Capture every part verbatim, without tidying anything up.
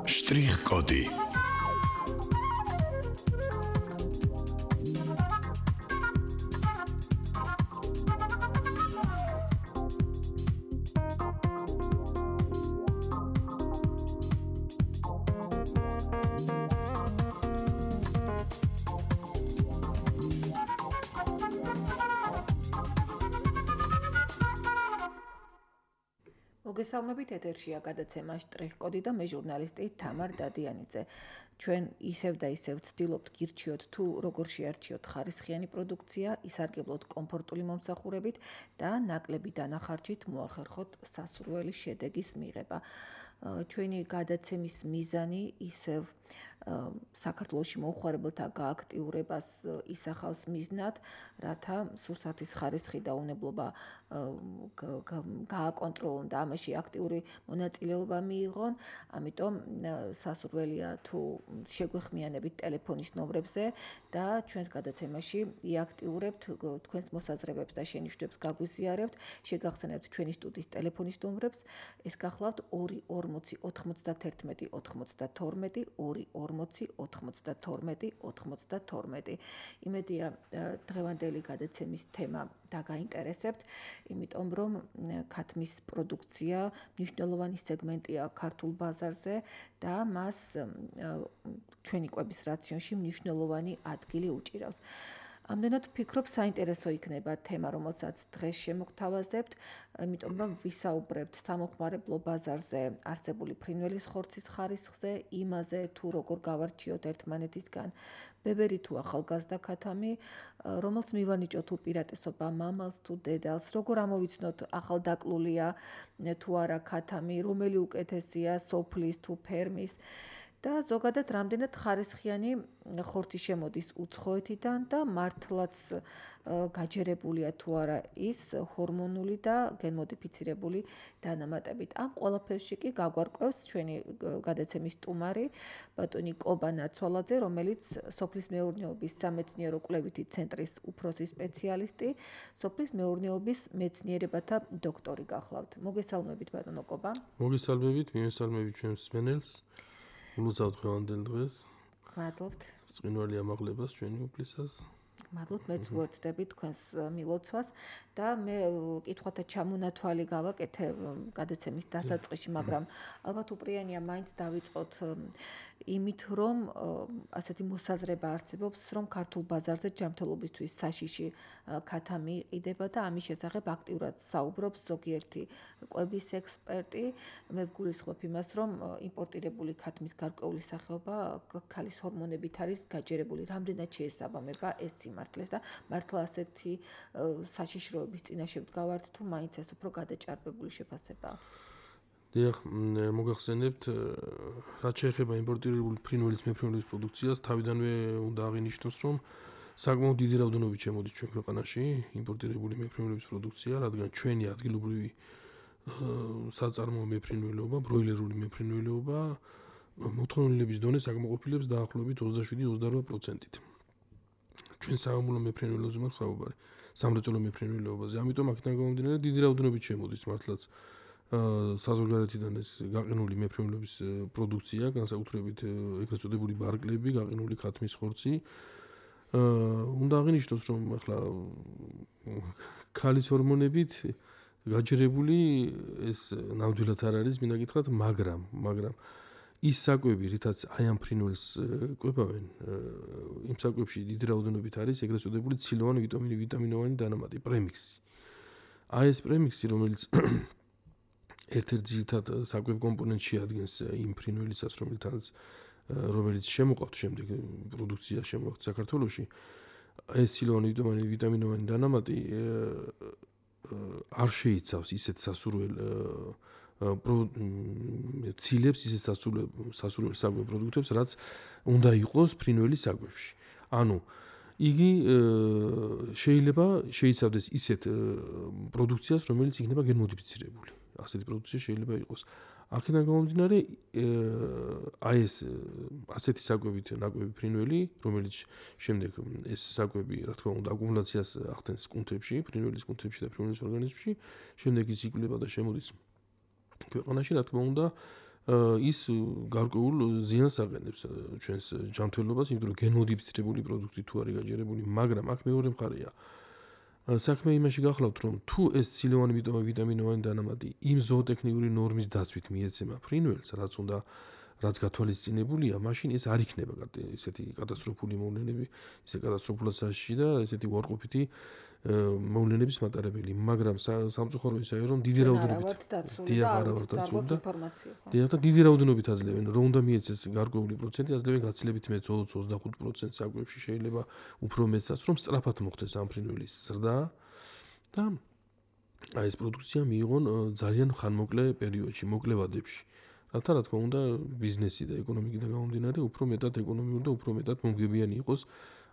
შტრიხ-კოდი მოგესალმებით, ეთერშია გადაცემა შტრიხ-კოდი და მე ჟურნალისტი თამარ დადიანიძე. ჩვენ ისევ და ისევ ვცდილობთ გირჩიოთ თუ როგორ შეარჩიოთ ხარისხიანი პროდუქცია, ისარგებლოთ კომფორტული მომსახურებით და ნაკლები დანახარჯით მოახერხოთ სასურველი შედეგის მიღება. ჩვენი გადაცემის მიზანი ისევ საქართველოში მოუხმარებელთა გააქტიურებას ისახავს მიზნად, რათა სურსათის ხარისხი და უნებლობა გააკონტროლონ და ამაში აქტიური მონაწილეობა მიიღონ. ამიტომ სასურველია თუ შეგვეხმიანებით ტელეფონის ნომრებზე და ჩვენს გადაცემაში იაქტიურებთ თქვენს მოსაზრებებს და შენიშვნებს გაგვიზიარებთ. შეგახსენებთ ჩვენი სტუდიის ტელეფონის ნომრებს. ეს გახლავთ ორი ორმოცი ოთხმოცდათერთმეტი ოთხმოცდათორმეტი ორი ორმოცი ოთხმოცდათორმეტი ოთხმოცდათორმეტი. იმედია დღევანდელი გადაცემის თემა დაგაინტერესებთ, იმიტომ რომ ქათმის პროდუქცია მნიშვნელოვანი სეგმენტია ქართულ ბაზარზე და მას ჩვენი კვების რაციონში მნიშვნელოვანი ადგილი უჭირავს. ამდენად ვფიქრობ, საინტერესო იქნება თემა, რომელსაც დღეს შემოგთავაზებთ, იმიტომ რომ ვისაუბრებთ სამოხმარებლო ბაზარზე არსებული ფრინველის ხორცის ხარისხზე, იმაზე თუ როგორ გავარჩიოთ ერთმანეთისგან ბებერი თუ ახალგაზრდა ქათამი, რომელს მივანიჭოთ უპირატესობა მამალს თუ დედალს, როგორ ამოვიცნოთ ახალდაკლულია თუ არა ქათამი, რომელი უკეთესია სოფლის თუ ფერმის. და ზოგადად რამდენად ხარისხიანი ხორცი შემოდის უცხოეთიდან და მართლაც გაჯერებულია თუ არა ის ჰორმონული და გენმოდიფიცირებული დანამატებით. ამ ყველაფერში კი გაგვარკვევს ჩვენი გადაცემის სტუმარი ბატონი კობა ნაცვალაძე, რომელიც სოფლის მეურნეობის სამეცნიერო კვლევითი ცენტრის უფროსი სპეციალისტი, სოფლის მეურნეობის მეცნიერებათა დოქტორი გახლავთ. მოგესალმებით ბატონო კობა. მოგესალმებით, მივესალმებით ჩვენს მსმენელს. ულოცავთ დღევანდელ დღეს. გმადლობთ. წვინვალი ამაღლებას ჩვენი უფლისას. გმადლობთ, მეც ვუერთდები თქვენს მილოცვას და მე კითხვათა ჩამონათვალი გავაკეთე გადაცემის დასაწყისში, მაგრამ ალბათ უპრიანია მაინც დავიწყოთ იმით, რომ ასეთი მოსაზრება არსებობს, რომ ქართულ ბაზარზე ჯანმრთელობისთვის საშიში ქათამი იყიდება და ამის შესახებ აქტიურად საუბრობს ზოგიერთი კვების ექსპერტი. მე ვგულისხმობ იმას, რომ იმპორტირებული ქათმის გარკვეული სახეობა ქალის ჰორმონებით არის გაჯერებული. რამდენად შეესაბამება ეს სიმართლეს და მართლა ასეთი საშიშროების წინაშე ვდგავართ თუ მაინც ეს უფრო გადაჭარბებული შეფასებაა? დიახ, მოგახსენებთ, რაც შეეხება იმპორტირებული ფრინველის მეფრინველის პროდუქციას, თავიდანვე უნდა აღინიშნოს, რომ საკმაოდ დიდი რაოდენობით შემოდის ჩვენ ქვეყანაში იმპორტირებული მეფრინველების პროდუქცია, რადგან ჩვენი ადგილობრივი საწარმოო მეფრინველობა, ბროილერული მეფრინველობა მოთხოვნილების დონეს აკმაყოფილებს დაახლოებით ოცდაშვიდი ოცდარვა პროცენტით. ჩვენ სამამულო მეფრინველობაზე მაქვს საუბარი, სამრეწველო მეფრინველობაზე. ამიტომ აქედან გამომდინარე დიდი რაოდენობით შემოდის მართლაც საზოგადოებიდან ეს გაყინული მეფრინველობის პროდუქცია, განსაკუთრებით ეგრეთ წოდებული ბარკლები, გაყინული ქათმის ხორცი. უნდა აღინიშნოს, რომ ახლა ქალის ჰორმონებით გაჯერებული ეს ნამდვილად არ არის, მინდა გითხრათ, მაგრამ, მაგრამ ის საკვები, რითაც აი ამ ფრინველს კვებავენ, იმ საკვებში დიდი რაოდენობით არის ეგრეთ წოდებული ცილოვანი ვიტამინი, ვიტამინოვანი დანამატი, პრემიქსი. აი ეს პრემიქსი, რომელიც ერთ-ერთ ძირითად საკვებ კომპონენტს შეადგენს იმ ფრინველისას, რომელთანაც რომელიც შემოყავთ შემდეგ პროდუქცია შემოყავთ საქართველოში, ეს ცილოვანი ვიტამინი, ვიტამინოვანი დანამატი არ შეიცავს ისეთ სასურველ ცილებს, ისეთ სასურველ საკვებ პროდუქტებს, რაც უნდა იყოს ფრინველის საკვებში. ანუ იგი შეიძლება შეიცავდეს ისეთ პროდუქციას, რომელიც იქნება გენმოდიფიცირებული. ასეთი პროდუქცია შეიძლება იყოს. აქედან გამომდინარე, აი ეს ასეთი საკვებით ნაკვები ფრინველი, რომელიც შემდეგ ეს საკვები, რა თქმა უნდა, აკუმულაციას ახდენს კუნთებში, ფრინველის კუნთებში და ფრინველის ორგანიზმში, შემდეგ ის იკვლება და შემოდის ქვეყანაში, რა თქმა უნდა, ის გარკვეულ ზიანს აყენებს ჩვენს ჯანმრთელობას, იმიტომ რომ გენმოდიფიცირებული პროდუქტი თუ არის გაჯერებული, მაგრამ აქ მეორე მხარეა. საქმე იმაში გახლავთ, რომ თუ ეს ცილოვანი ვიტამინოვანი დანამატი იმ ზოოტექნიკური ნორმის დაცვით მიეცემა ფრინველს, რაც უნდა რაც გათვალისწინებულია, მაშინ ეს არ იქნება ესეთი კატასტროფული მოვლენები, ისე კატასტროფულად საშიში და ესეთი უარყოფითი მოვლენების მატარებელი, მაგრამ სამწუხარო ისაა, რომ დიდი რაოდენობით და დიდი რაოდენობით აძლევენ, რომ უნდა მიეცეს გარკვეული პროცენტი, აძლევენ გაცილებით მეტ ოცდახუთ პროცენტს საკვებში, შეიძლება უფრო მეტსაც, რომ სწრაფად მოხდეს ამ ფრინველის ზრდა და აი ეს პროდუქცია მიიღონ ძალიან ხანმოკლე პერიოდში, მოკლე ვადებში. რათა რა თქმა უნდა ბიზნესი და ეკონომიკიდან გამომდინარე უფრო მეტად ეკონომიური და უფრო მეტად მომგებიანი იყოს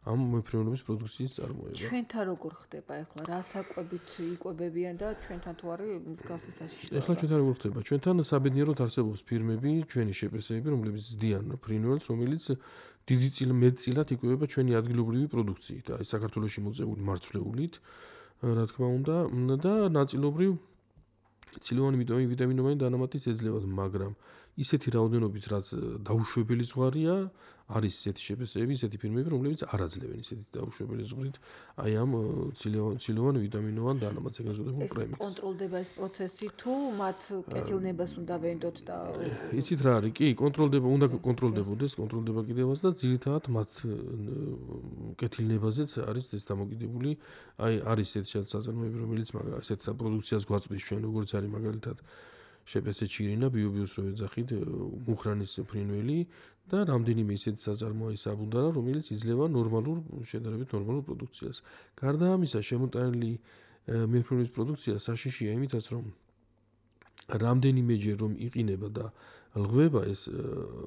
ამ მეფრინველების პროდუქციის წარმოება. ჩვენთან როგორ ხდება ახლა? რა საკვებით იკვებებიან და ჩვენთან თუ არის მსგავსი საშიშროება? ახლა ჩვენთან როგორ ხდება? ჩვენთან საბედნიეროდ არსებობს ფირმები, ჩვენი შეპესეები, რომლებიც ზდიან ფრინველს, რომელიც დიდი წილ მეტწილად იკვებება ჩვენი ადგილობრივი პროდუქციით, აი საქართველოში მოწეული მარცვლეულით, რა თქმა უნდა, და ნაწილობრივ ცილოვანი ვიტამინოვანი დანამატიც ეძლევათ, მაგრამ ისეთი რაოდენობით, რაც დაუშვებელი ზღვარია, არის ისეთი შეფესეები, ისეთი ფირმები, რომლებიც არ აძლევენ ისეთი დაუშვებელი ზღვრით, აი ამ ცილოვანი ვიტამინოვან დანამატს ეგრეთ წოდებულ პრემიას. ეს კონტროლდება ეს პროცესი თუ მათ კეთილნებას უნდა ვენდოთ და იცით რა არის? კი, კონტროლდება, უნდა კონტროლდებოდეს, კონტროლდება კიდევაც და ძირითადად მათ კეთილნებაზეც არის ეს დამოკიდებული. აი არის ესეთი საწარმოები, რომელიც ესეთ პროდუქციას გვაწვდის ჩვენ, როგორც არის მაგალითად შეპესე ჩირინა, ბიობიოს რო ეძახით, მუხრანის ფრინველი და რამდენიმე ისეთი საწარმოა საბუნდარა, რომელიც იძლევა ნორმალურ, შედარებით ნორმალურ პროდუქციას. გარდა ამისა, შემოტანილი მეფრინველის პროდუქცია საშიშია იმითაც, რომ რამდენიმეჯერ რომ იყინება და ლღვება ეს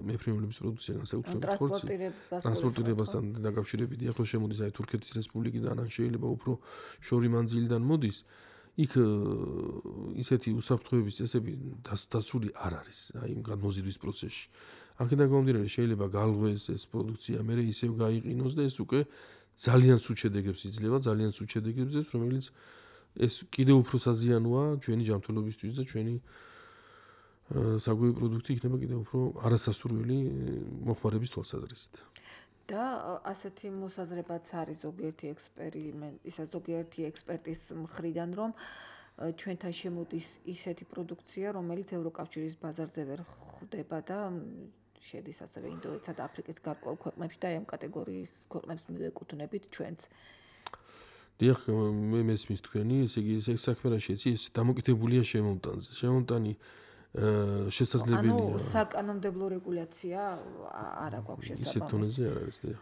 მეფრინველების პროდუქცია განსაკუთრებით ხორცი ტრანსპორტირებასთან დაკავშირებით, ახლა შემოდის აი თურქეთის რესპუბლიკიდან, ან შეიძლება უფრო შორი მანძილიდან მოდის. იქ ისეთი უსაფრთხოების წესები დაცული არ არის, აი იმ გადმოზიდვის პროცესში. აქედან გამომდინარე შეიძლება გალღვეს ეს პროდუქცია, მერე ისევ გაიყინოს და ეს უკვე ძალიან სულ შედეგებს იძლევა, ძალიან სულ შედეგებს იძლევა, რომელიც ეს კიდევ უფრო საზიანოა ჩვენი ჯანმრთელობისთვის და ჩვენი საკვები პროდუქტი იქნება კიდევ უფრო არასასურველი მოხმარების თვალსაზრისით. და ასეთი მოსაზრებაც არის ზოგიერთი ექსპერიმენტ, ისა ზოგიერთი ექსპერტის მხრიდან, რომ ჩვენთან შემოდის ისეთი პროდუქცია, რომელიც ევროკავშირის ბაზარზე ვერ ხვდება და შედის ასევე ინდოეთსა და აფრიკის გარკვეულ ქვეყნებში და ამ კატეგორიის ქვეყნებს მივეკუთვნებით ჩვენც. დიახ, მე მესმის თქვენი, ესე იგი ეს საქმე რა შეიცი, ეს დამოკიდებულია შემომტანზე. შემომტანი შესაძლებელია. ანუ საკანონმდებლო რეგულაცია არ აქვს შესაბამისი. ისეთ დონეზე არ არის, დიახ.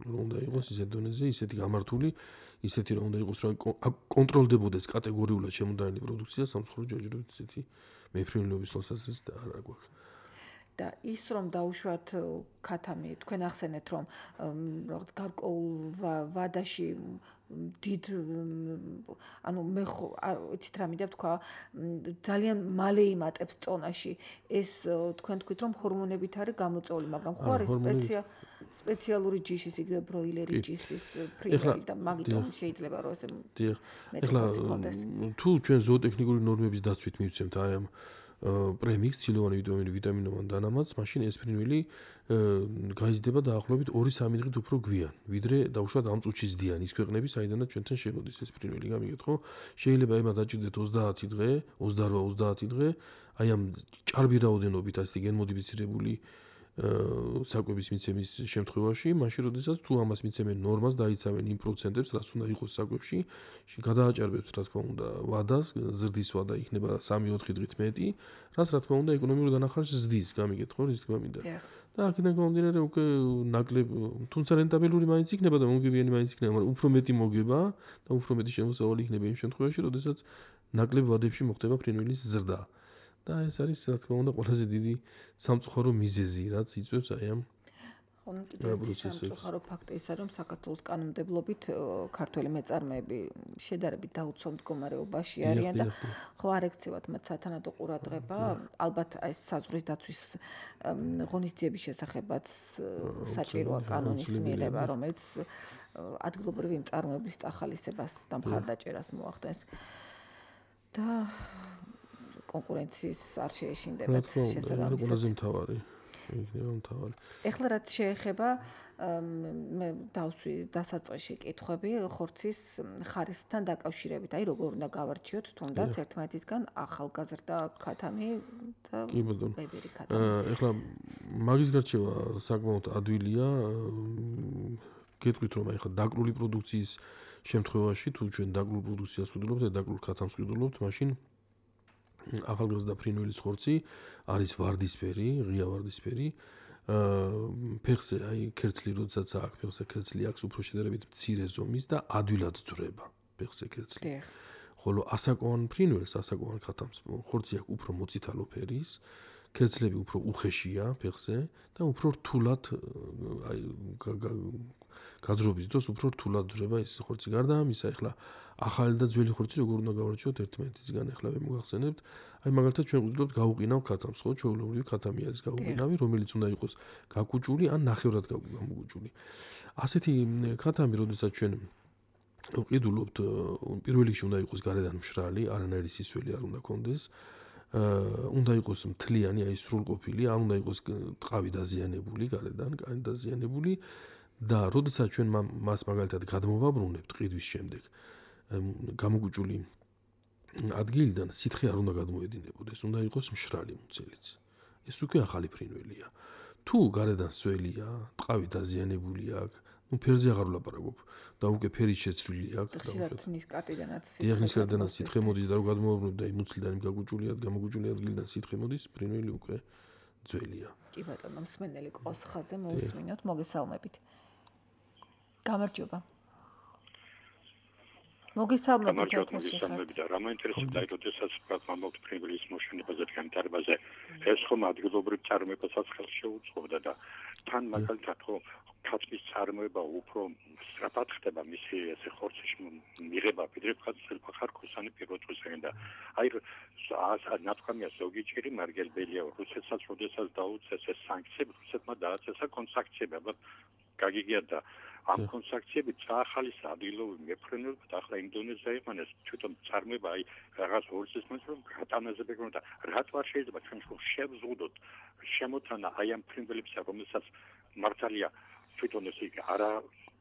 უნდა იყოს ისეთ დონეზე, ისეთი გამართული, ისეთი რომ უნდა იყოს, რომ კონტროლდებოდეს კატეგორიულად შემოდანილი პროდუქცია, სამწუხარო ჯერჯერობით ისეთი მეფრინველების თვალსაზრისით და არ აქვს. და ის რომ დაუშვათ ქათამი, თქვენ ახსენეთ, რომ რაღაც გარკვეულ ვადაში დიდ ანუ მე იცით რა მინდა ვთქვა, ძალიან მალე იმატებს წონაში. ეს თქვენ თქვით, რომ ჰორმონებით არის გამოწვეული, მაგრამ ხო არის სპეციალური ჯიშის, იგივე ბროილერის ჯიშის ფრინველი და მაგიტომ შეიძლება რომ ესე მეტი ხორცი ქონდეს. თუ ჩვენ ზოოტექნიკური ნორმების დაცვით მივცემთ აი ამ პრემიას ცილოვანი ვიტამინოვანი დანამატს, მაშინ ეს ფრინველი გაიზრდება დაახლოებით ორი სამი დღით უფრო გვიან, ვიდრე დაუშვათ ამ წუთში ზდიან ის ქვეყნები, საიდანაც ჩვენთან შემოდის ეს ფრინველი, გამიგეთ ხო? შეიძლება ემა დაჭირდეთ ოცდაათი დღე, ოცდაოთხ ოცდაათი დღე, აი ამ ჭარბი რაოდენობით ასეთი გენმოდიფიცირებული საკვების მიცემის შემთხვევაში, მაშინ როდესაც თუ ამას მიცემენ ნორმას, დაიცავენ იმ პროცენტებს, რაც უნდა იყოს საკვებში, გადააჭარბებს რა თქმა უნდა ვადას, ზრდის ვადა იქნება სამი ოთხი დღით მეტი, რაც რა თქმა უნდა ეკონომიურ დანახარჯს ზრდის, გამიგეთ ხო, რის თქმა მინდა. და აქედან გამომდინარე უკვე ნაკლებ, თუმცა რენტაბელური მაინც იქნება და მომგებიანი მაინც იქნება, მაგრამ უფრო მეტი მოგება და უფრო მეტი შემოსავალი იქნება იმ შემთხვევაში, როდესაც ნაკლებ ვადებში მოხდება ფრინველის ზრდა. და ეს არის რა თქმა უნდა ყველაზე დიდი სამწუხარო მიზეზი, რაც იწვევს აი ამ პროცესებს. სამწუხარო ფაქტი ისაა, რომ საქართველოს კანონმდებლობით ქართველი მეწარმეები შედარებით დაუცველ მდგომარეობაში არიან და ხო არ ექცევათ მათ სათანადო ყურადღება, ალბათ აი საზღვრის დაცვის ღონისძიების შესახებაც საჭიროა კანონის მიღება, რომელიც ადგილობრივი მწარმოებლის წახალისებას და მხარდაჭერას მოახდენს. და კონკურენციის არ შეეშინდებათ შესაბამისად. ყველაზე მთავარი. იქნება მთავარი. ეხლა რაც შეეხება მე დავსვი დასაწყისში კითხვები ხორცის ხარისხთან დაკავშირებით. აი როგორ უნდა გავარჩიოთ თუნდაც ერთმანეთისგან ახალგაზრდა ქათამი და ბებერი ქათამი. ეხლა მაგის გარჩევა საკმაოდ ადვილია. გეტყვით რომ აი ხა დაკრული პროდუქციის შემთხვევაში თუ ჩვენ დაკრულ პროდუქციას ვყიდულობთ და დაკრულ ქათამს ვყიდულობთ, მაშინ ახალგაზრდა ფრინველის ხორცი არის ვარდისფერი, ღია ვარდისფერი. ფეხზე აი ქერცლი როდესაც აქვს, ფეხზე ქერცლი აქვს უფრო შედარებით მცირე ზომის და ადვილად ძვრება ფეხზე ქერცლი. ხოლო ასაკოვან ფრინველს, ასაკოვან ქათამს ხორცი აქვს უფრო მოწითალო ფერის, ქერცლები უფრო უხეშია ფეხზე და უფრო რთულად აი გაძრობის დროს უფრო რთულად ძვრება ის ხორცი. გარდა ამისა, ეხლა ახალი და ძველი ხორცი როგორ უნდა გავარჩიოთ ერთმანეთისგან, ეხლა მე მოგახსენებთ. აი მაგალითად ჩვენ ვუძლობთ გაუყინავ ქათამს, ხო, ჩვეულებრივი ქათამი არის გაუყინავი, რომელიც უნდა იყოს გაკუჭული ან ნახევრად გამოგუჭული. ასეთი ქათამი, როდესაც ჩვენ ვყიდულობთ, პირველ რიგში უნდა იყოს გარედან მშრალი, არანაირი სისველი არ უნდა კონდეს. უნდა იყოს მთლიანი, აი სრულყოფილი, არ უნდა იყოს ტყავი დაზიანებული გარედან, კანი დაზიანებული. და როდესაც ჩვენ მას მაგალითად გადმოვაბრუნებთ ყიდვის შემდეგ გამოგუჭული ადგილიდან სითხე არ უნდა გადმოედინებოდეს, უნდა იყოს მშრალი მუცელიც. ეს უკვე ახალი ფრინველია. თუ გარედან სველია, ტყავი დაზიანებული აქვს, ნუ ფერზე აღარ ვლაპარაკობ და უკვე ფერის შეცვლილი აქვს. ხშირად ნისკარტიდანაც სითხე სითხე მოდის და რო გადმოვაბრუნებ და იმ მუცლიდან იმ გაგუჭული გამოგუჭული ადგილიდან სითხე მოდის, ფრინველი უკვე ძველია. კი ბატონო, მსმენელი კოსხაზე მოусმინოთ, მოგესალმებით. გამარჯობა. მოგესალმებით ეთერში ხართ. და რა მაინტერესებდა, როდესაც ვამბობთ ფრინველის მოშენებაზე და განვითარებაზე, ეს ხომ ადგილობრივ წარმოებასაც ხელს შეუწყობდა და თან მაგალითად ხო ქათმის წარმოება უფრო სწრაფად ხდება მისი ესე ხორცის მიღება, ვიდრე ხარკოსანი პირველ წუთიდან და აი ნათქვამია ზოგი ჭირი მარგელბელია, რუსეთსაც როდესაც დაუწეს ეს სანქციები, რუსეთმა დააწესა კონსანქციები, ალბათ გაგიგია და ამ კონსანქციებით წაახალისა ადგილობრივი მეფრინველობა და ახლა ინდონეზია იყანეს თვითონ წარმოება აი რაღაც ორცის მომწრო გატანაზე ბეგრონ და რაც არ შეიძლება ჩვენ შევზღუდოთ შემოთანა აი ამ ფრინველებსა რომელსაც მართალია თვითონ ეს არა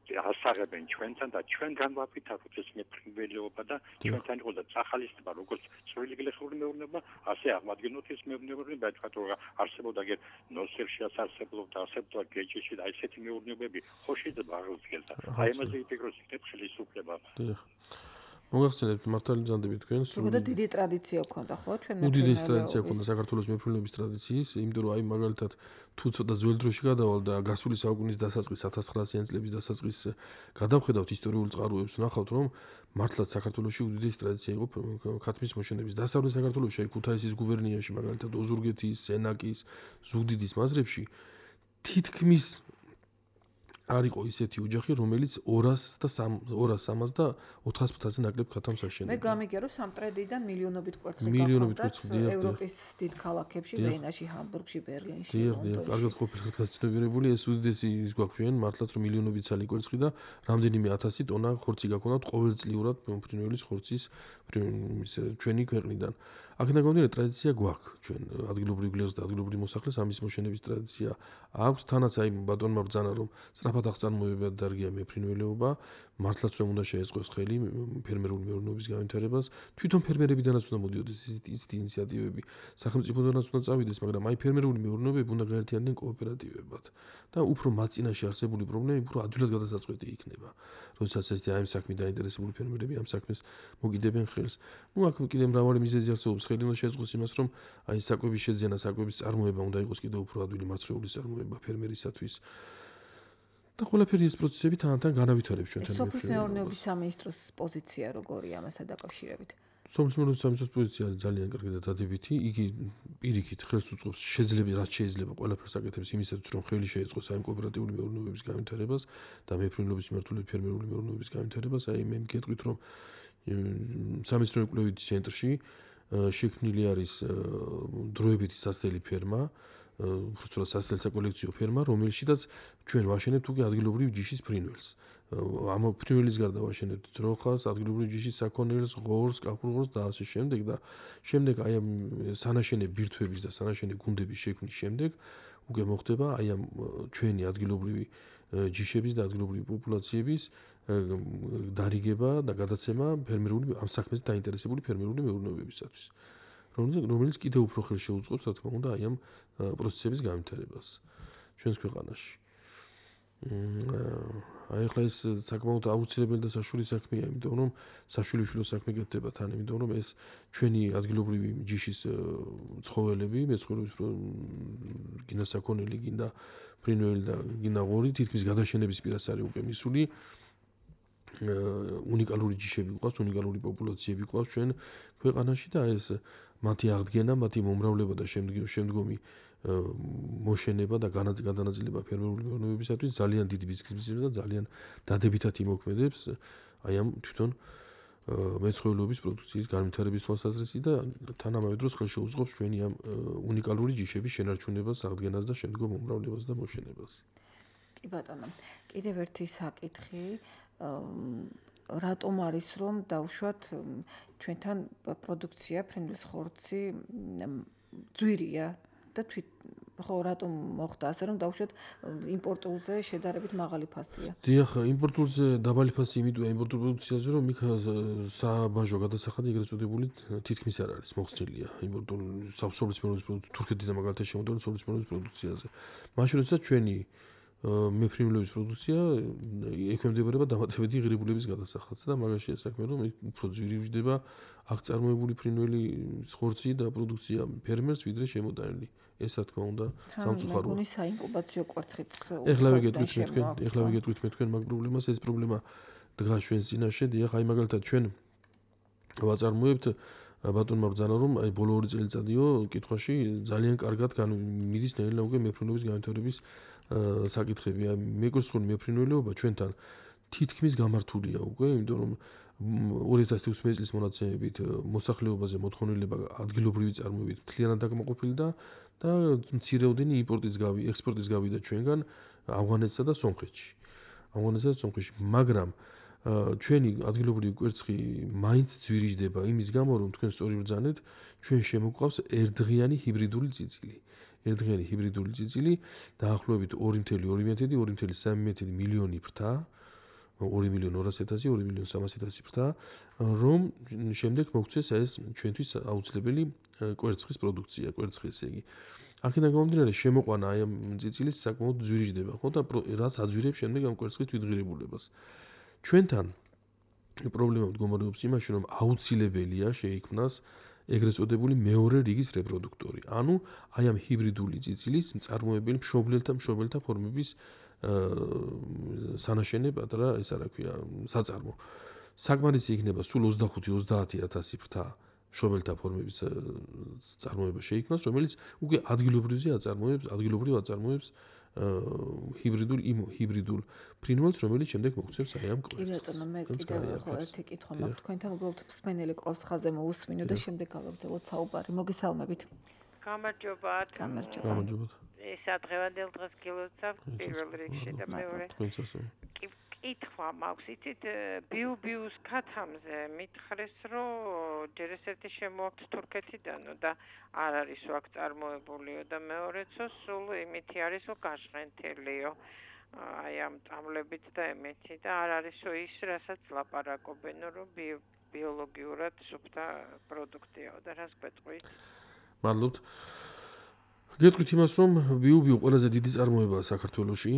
ასაღებენ ჩვენთან და ჩვენ განვაფრთხილოთ ეს მეფრინველობა და ჩვენთან იყო და წახალისება როგორც წვრილი გლეხური მეურნეობა ასე აღმადგენოთ ეს მეურნეობები და თქვა რომ არსებობდა გერ ნოსერში არსებობდა არსებობდა გეჭიში და ესეთი მეურნეობები ხო შეიძლება აღუდგეს და აი ამაზე იფიქროს იქნებ ხელისუფლება. მოგახსენებთ მართალი ძანდები თქვენს. ზოგადად დიდი ტრადიცია ჰქონდა ხო ჩვენ მეფრინველობის. უდიდესი ტრადიცია ჰქონდა საქართველოს მეფრინველობის ტრადიციის, იმიტომ რომ აი მაგალითად თუ ცოტა ძველ დროში გადავალ და გასული საუკუნის დასაწყის ათას ცხრაასიანი წლების დასაწყის გადავხედავთ ისტორიულ წყაროებს, ვნახავთ რომ მართლაც საქართველოში უდიდესი ტრადიცია იყო ქათმის მოშენების. დასავლეთ საქართველოში აი ქუთაისის გუბერნიაში მაგალითად ოზურგეთის, სენაკის, ზუგდიდის მაზრებში თითქმის არ იყო ისეთი ოჯახი, რომელიც ორასს და ორას სამას და ოთხას ფუთაზე ნაკლებ ქათამს აშენებდა. მე გამიგე რომ სამტრედიდან მილიონობით კვერცხი გაქონდათ ევროპის დიდ ქალაქებში, ვენაში, ჰამბურგში, ბერლინში, ლონდონში. კარგად ყოფილი გაცნობიერებული, ეს უდიდესი ის გვაქვს ჩვენ, მართლაც რომ მილიონობით ცალი კვერცხი და რამდენიმე ათასი ტონა ხორცი გაქონდათ ყოველწლიურად ფრინველის ხორცის ჩვენი ქვეყნიდან. აქედან გამომდინარე ტრადიცია გვაქვს ჩვენ ადგილობრივ გლეხს და ადგილობრივ მოსახლეს ამის მოშენების ტრადიცია აქვს. თანაც აი ბატონმა ბრძანა რომ სწრაფად აღწარმოება დარგია მეფრინველობა, მართლაც რომ უნდა შეეწყოს ხელი ფერმერული მეურნეობის განვითარებას. თვითონ ფერმერებიდანაც უნდა მოდიოდეს ისეთი ინიციატივები, სახელმწიფოდანაც უნდა წავიდეს, მაგრამ აი ფერმერული მეურნეობები უნდა გაერთიანდნენ კოოპერატივებად და უფრო მათ წინაშე არსებული პრობლემები უფრო ადვილად გადასაწყვეტი იქნება. როდესაც ეს აი ამ საქმით დაინტერესებული ფერმერები ამ საქმეს მოგიდებენ ხელს. ნუ აქ კიდე მრავალი მიზეზი არსებობს. ხელი უნდა შეეწყოს იმას, რომ აი საკვების შეძენა, საკვების წარმოება უნდა იყოს კიდევ უფრო ადვილი მარცვლეულის წარმოება ფერმერისათვის. და ყველაფერი ეს პროცესები თან-თან განავითარებს ჩვენთან. სოფლის მეურნეობის სამინისტროს პოზიცია როგორია ამასთან დაკავშირებით? სოფლის მეურნეობის სამინისტროს პოზიცია არის ძალიან კარგი და დადებითი. იგი პირიქით ხელს უწყობს შეიძლება რაც შეიძლება ყველაფერს აკეთებს იმისათვის, რომ ხელი შეეწყოს აი კოოპერატიული მეურნეობის განვითარებას და მეფრინველობის მიმართულებით ფერმერული მეურნეობის განვითარებას. აი მე მგეტყვით, რომ სამეცნიერო კვლევითი ცენტრში შექმნილი არის დროებითი სასწრაფო ფერმა, უბრალოდ სასწრაფო საკოლექციო ფერმა, რომელშიც ჩვენ ვაშენებთ უკვე ადგილობრივ ჯიშის ფრინველს. ამ ფრინველის გარდა ვაშენებთ ძროხას, ადგილობრივ ჯიშის საქონელს, ღორს, კაფურღორს და ასე შემდეგ და შემდეგ აი ამ სანაშენე ბირთვების და სანაშენე გუნდების შექმნის შემდეგ უკვე მოხდება აი ამ ჩვენი ადგილობრივი ჯიშების და ადგილობრივი პოპულაციების დარიგება და გადაცემა ფერმერული ამ საქმეზე დაინტერესებული ფერმერული მეურნეობებისათვის. რომელიც კიდევ უფრო ხელს შეუწყობს, რა თქმა უნდა, აი ამ პროცესების განვითარებას ჩვენს ქვეყანაში. აი ახლა ეს საკმაოდ აუცილებელი და საშუალო საქმეა, იმიტომ რომ საშვილიშვილო საქმე გეთდება თან, იმიტომ რომ ეს ჩვენი ადგილობრივი ჯიშის ცხოველები, მეცხოველების გინდა საქონელი, გინდა ფრინველი და გინდა ღორი, თითქმის გადაშენების პირას არის უკვე მისული. უნიკალური ჯიშები გვყავს, უნიკალური პოპულაციები გვყავს ჩვენ ქვეყანაში და ეს მათი აღდგენა, მათი მომრავლება და შემდგომი მოშენება და განაწილება ფერმერული მეურნეობისათვის ძალიან დიდი ბიზნესის და ძალიან დადებითად იმოქმედებს აი ამ თვითონ მეცხოველეობის პროდუქციის განვითარების თვალსაზრისით და თანამედროვე დროს ხელს შეუწყობს ჩვენი ამ უნიკალური ჯიშების შენარჩუნებას, აღდგენას და შემდგომ მომრავლებას და მოშენებას. კი ბატონო, კიდევ ერთი საკითხი რატომ არის რომ დავუშვათ ჩვენთან პროდუქცია ფრინველის ხორცი ძვირია და თვით ხო რატომ მოხდა ასე რომ დავუშვათ იმპორტულზე შედარებით მაღალი ფასია. დიახ, იმპორტულზე დაბალი ფასი იმიტოა იმპორტულ პროდუქციაზე რომ იქ საბაჟო გადასახადი ეგრეთ წოდებული თითქმის არ არის მოხსნილია იმპორტულ სოფლის მეურნეობის თურქეთიდან მაგალითად შემოდევენ სოფლის მეურნეობის პროდუქციაზე. მაშინ როდესაც ჩვენი მეფრინველების პროდუქცია ექვემდებარება დამატებითი ღირებულების გადასახადს და მაგაში ეს საქმე რომ უფრო ძვირი ვжდება აქ წარმოებული ფრინველის ხორცი და პროდუქცია ფერმერს ვიდრე შემოდანილი. ეს რა თქმა უნდა სამწუხაროა. მეგონის საინკუბაციო კვერცხით ეხლა ვიგეტყვით მე თქვენ, ეხლა ვიგეტყვით მე თქვენ მაგ პრობლემას, ეს პრობლემა დგას ჩვენს წინაშე, დიახ, აი მაგალითად ჩვენ ვაწარმოებთ ბატონმა ბრძანა რომ აი ბოლო ორი წელიწადიო კითხვაში ძალიან კარგად მიდის ნელა უკვე მეფრინველების განვითარების საკითხები. აი მეკურსხული მეფრინველეობა ჩვენთან თითქმის გამართულია უკვე, იმიტომ რომ ორი ათას ოცდაათი წლის მონაცემებით მოსახლეობაზე მოთხოვნილება ადგილობრივი წარმოებით მთლიანად დაკმაყოფილი და და მცირეოდენი იმპორტის გავი, ექსპორტის გავიდა ჩვენგან ავღანეთსა და სომხეთში. ავღანეთსა და სომხეთში, მაგრამ ჩვენი ადგილობრივი კვერცხი მაინც ძვირიჯდება იმის გამო რომ თქვენ სწორი ბრძანეთ, ჩვენ შემოგვყავს ერთდღიანი ჰიბრიდული წიწილი. ერთდღიანი ჰიბრიდული წიწილი დაახლოებით ორი ათეული ორი სამი მილიონი ფრთა, ორი მილიონი ორასი ათასი, ორი მილიონი სამასი ათასი ფრთა, რომ შემდეგ მოგვცეს ეს ჩვენთვის აუცილებელი კვერცხის პროდუქცია, კვერცხი ესე იგი. აქედან გამომდინარე შემოყვანა აი ამ წიცილის საკმაოდ ძვირიჯდება, ხო და რაც აძვირებს შემდეგ ამ კვერცხის თვითღირებულებას. ჩვენთან პრობლემა მდგომარეობს იმაში, რომ აუცილებელია შეიქმნას ეგრეთ წოდებული მეორე რიგის რეპროდუქტორი. ანუ აი ამ ჰიბრიდული წიცილის მწარმოებელი მშობლელთა მშობელთა ფორმების სანაშენე პატარა ეს არა ქვია საწარმო. საკმარისი იქნება სულ ოცდახუთი ოცდაათი ათასი ფრთა მშობელთა ფორმების წარმოება შეიქმნას, რომელიც უკვე ადგილობრივზე აწარმოებს, ადგილობრივ აწარმოებს ჰიბრიდულ იმ ჰიბრიდულ ფრინველს, რომელიც შემდეგ მოგვცემს აი ამ კვერცხს. კი ბატონო, მე კიდევ ერთი კითხვა მაქვს თქვენთან, უბრალოდ მსმენელი ყავს ხაზე მოусმინო და შემდეგ გავაგრძელოთ საუბარი. მოგესალმებით. გამარჯობათ. გამარჯობა. გამარჯობათ. ეს ადღევანდელ დღეს გილოცავ პირველ რიგში და მეორე. კითხვა მაქვს, იცით, ბიუ-ბიუს ქათამზე მითხრეს, რომ ჯერ ეს ერთი შემოაქვთ თურქეთიდანო და არ არის აქ წარმოებულიო და მეორეცო სულ იმითი არის, რომ გაჟღენთელიო. აი ამ წამლებით და ემეთი და არ არისო ის, რასაც ლაპარაკობენო, რომ ბიოლოგიურად სუფთა პროდუქტიაო და რას გვეტყვით? მადლობთ. გეტყვით იმას, რომ ბიუ-ბიუ ყველაზე დიდი წარმოებაა საქართველოში,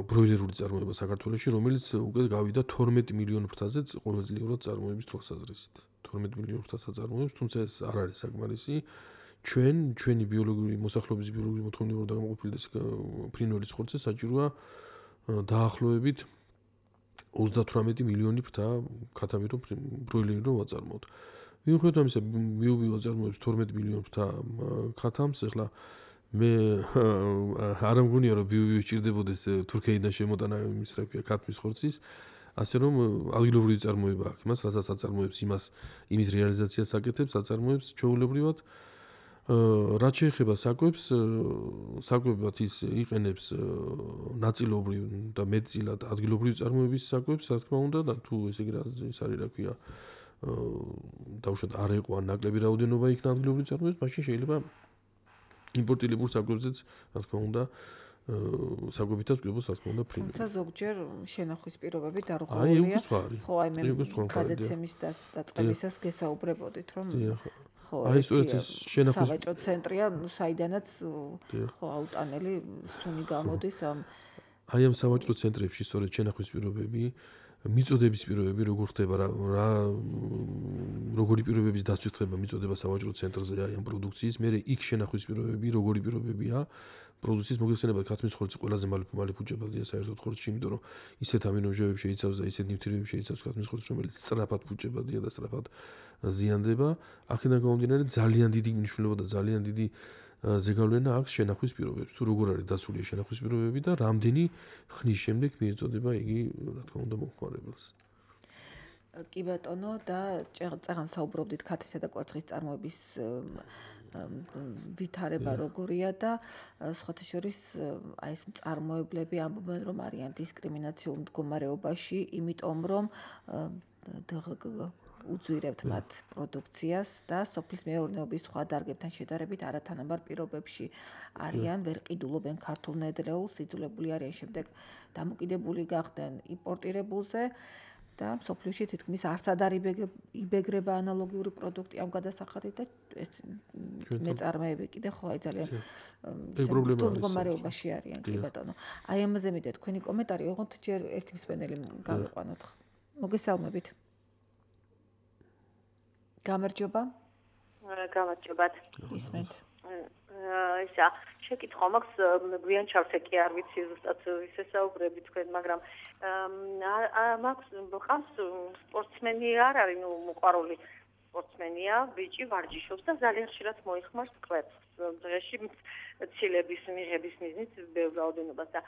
ბროილერული წარმოება საქართველოში, რომელიც უკვე გავიდა თორმეტი მილიონი ფრთაზე ყოველწლიურად წარმოების თვალსაზრისით. თორმეტი მილიონი ფრთას აწარმოებს, თუმცა ეს არ არის საკმარისი. ჩვენ, ჩვენი ბიოლოგიური მოსახლეობის ბიოლოგიური მოთხოვნილება დაკმაყოფილი ფრინველის ხორცზე საჭიროა დაახლოებით ოცდათვრამეტი მილიონი ფრთა ქათამი რომ ბროილერი რომ ვაწარმოოთ. მიუხედავად ამისა, ბიუ-ბიუ აწარმოებს თორმეტი მილიონი ფრთა ქათამს, ეხლა მე არ მგონია რომ ბიუ-ბიუ სჭირდებოდეს თურქეთიდან შემოტანა იმის რა ქვია ქათმის ხორცის ასე რომ ადგილობრივი წარმოება აქვს იმას, რასაც აწარმოებს იმას, იმის რეალიზაციას აკეთებს, აწარმოებს ჩვეულებრივად. რაც შეეხება საკვებს, საკვებად ის იყენებს ნაწილობრივ და მეტწილად ადგილობრივი წარმოების საკვებს, რა თქმა უნდა, და თუ ესე იგი ის არის, რა ქვია, დაუშვათ არ ეყო ან ნაკლები რაოდენობა იქნა ადგილობრივი წარმოების, მაშინ შეიძლება იმპორტირებულ საკვებზეც, რა თქმა უნდა, საკვებითაც გვიბოს, რა თქმა უნდა, ფრინველი. თუმცა ზოგჯერ შენახვის პირობები დარღვეულია. ხო, აი მე გადაცემის დაწყებისას გესაუბრებოდით, რომ ხო, აი სწორედ ეს შენახვის სავაჭრო ცენტრია, საიდანაც ხო აუტანელი სუნი გამოდის ამ აი ამ სავაჭრო ცენტრებში სწორედ შენახვის პირობები, მიწოდების პირობები როგორ ხდება რა როგორი პირობების დაცვით ხდება მიწოდება სავაჭრო ცენტრზე აი ამ პროდუქციის, მე იქ შენახვის პირობები როგორი პირობებია პროდუქციის მოგეხსენებათ ქათმის ხორცი ყველაზე მალე ფუჭებადია საერთოდ ხორცში, იმიტომ რომ ისეთ ამინომჟავებს შეიცავს და ისეთ ნივთიერებებს შეიცავს ქათმის ხორცი, რომელიც სწრაფად ფუჭებადია და სწრაფად ზიანდება. აქედან გამომდინარე ძალიან დიდი მნიშვნელობა და ძალიან დიდი ზეგავლენა აქვს შენახვის პირობებს. თუ როგორ არის დაცული შენახვის პირობები და რამდენი ხნის შემდეგ მიეწოდება იგი, რა თქმა უნდა, მომხმარებელს. კი ბატონო, და წეგან საუბრობდით ქათმისა და კვერცხის წარმოების ვითარება როგორია და სხვათა შორის აი ეს მწარმოებლები ამბობენ, რომ არიან დისკრიმინაციულ მდგომარეობაში, იმიტომ რომ უძვირებთ მათ პროდუქციას და სოფლის მეურნეობის სხვა დარგებთან შედარებით არათანაბარ პირობებში არიან, ვერ ყიდულობენ ქართულ ნედლეულს, იძულებული არიან შემდეგ დამოკიდებული გახდნენ იმპორტირებულზე და მსოფლიოში თითქმის არც არ იბეგრება ანალოგიური პროდუქტი ამ გადასახადით და ეს მეწარმეები კიდე ხო აი ძალიან მდგომარეობაში არიან, კი ბატონო. აი ამაზე მიდე თქვენი კომენტარი, ოღონდ ჯერ ერთი მსმენელი გავიყვანოთ. მოგესალმებით. გამარჯობა. გამარჯობათ. ისმენთ. ისა, შეკითხვა მაქვს, გვიან ჩავსეკი არ ვიცი ზუსტად ისე საუბრები თქვენ, მაგრამ მაქვს ხავს სპორტსმენი არ არის, ნუ მოყვარული სპორტსმენია, ბიჭი ვარჯიშობს და ძალიან ხშირად მოიხმარს კვერცხს. დღეში ცილების მიღების მიზნით ბევრ რაოდენობას და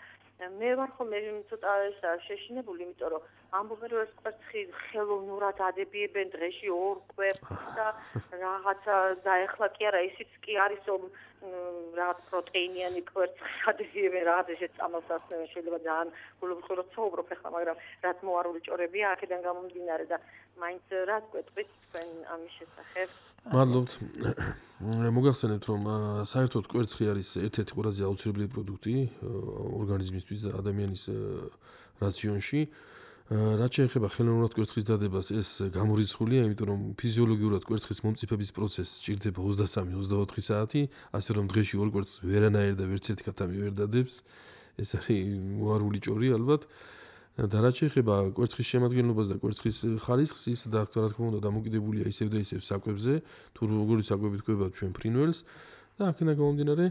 მე ვარ ხოლმე ცოტა ესა შეშინებული, იმიტომ რომ ამბობენ რომ ეს კვერცხი ხელოვნურად ადებიებენ დღეში ორ კვერცხს და რაღაცა და ეხლა კი არა ისიც კი არის რომ რაღაც პროტეინიანი კვერცხი ადებიებენ, რაღაც ესეც წამოსას შეიძლება ძალიან გულუბრყუროთ საუბრობ ახლა, მაგრამ რაც მოარული ჭორებია აქედან გამომდინარე და მაინც რაც კვეთით თქვენ ამის შესახებ. მადლობთ. მოგახსენებთ რომ საერთოდ კვერცხი არის ერთ-ერთი ყველაზე აუცილებელი პროდუქტი ორგანიზმისთვის და ადამიანის რაციონში. რაც შეეხება ხელოვნურად კვერცხის დადებას, ეს გამორიცხულია, იმიტომ რომ ფიზიოლოგიურად კვერცხის მომწიფების პროცესი სჭირდება ოცდასამი ოცდაოთხი საათი, ასე რომ დღეში ორ კვერცხს ვერანაირ და ვერც ერთი ქათამი ვერ დადებს. ეს არის მოარული ჭორი ალბათ. და რაც შეეხება კვერცხის შემადგენლობას და კვერცხის ხარისხს, ის და რა თქმა უნდა დამოკიდებულია ისევ და ისევ საკვებზე, თუ როგორი საკვებით კვებავთ ჩვენ ფრინველს და აქედან გამომდინარე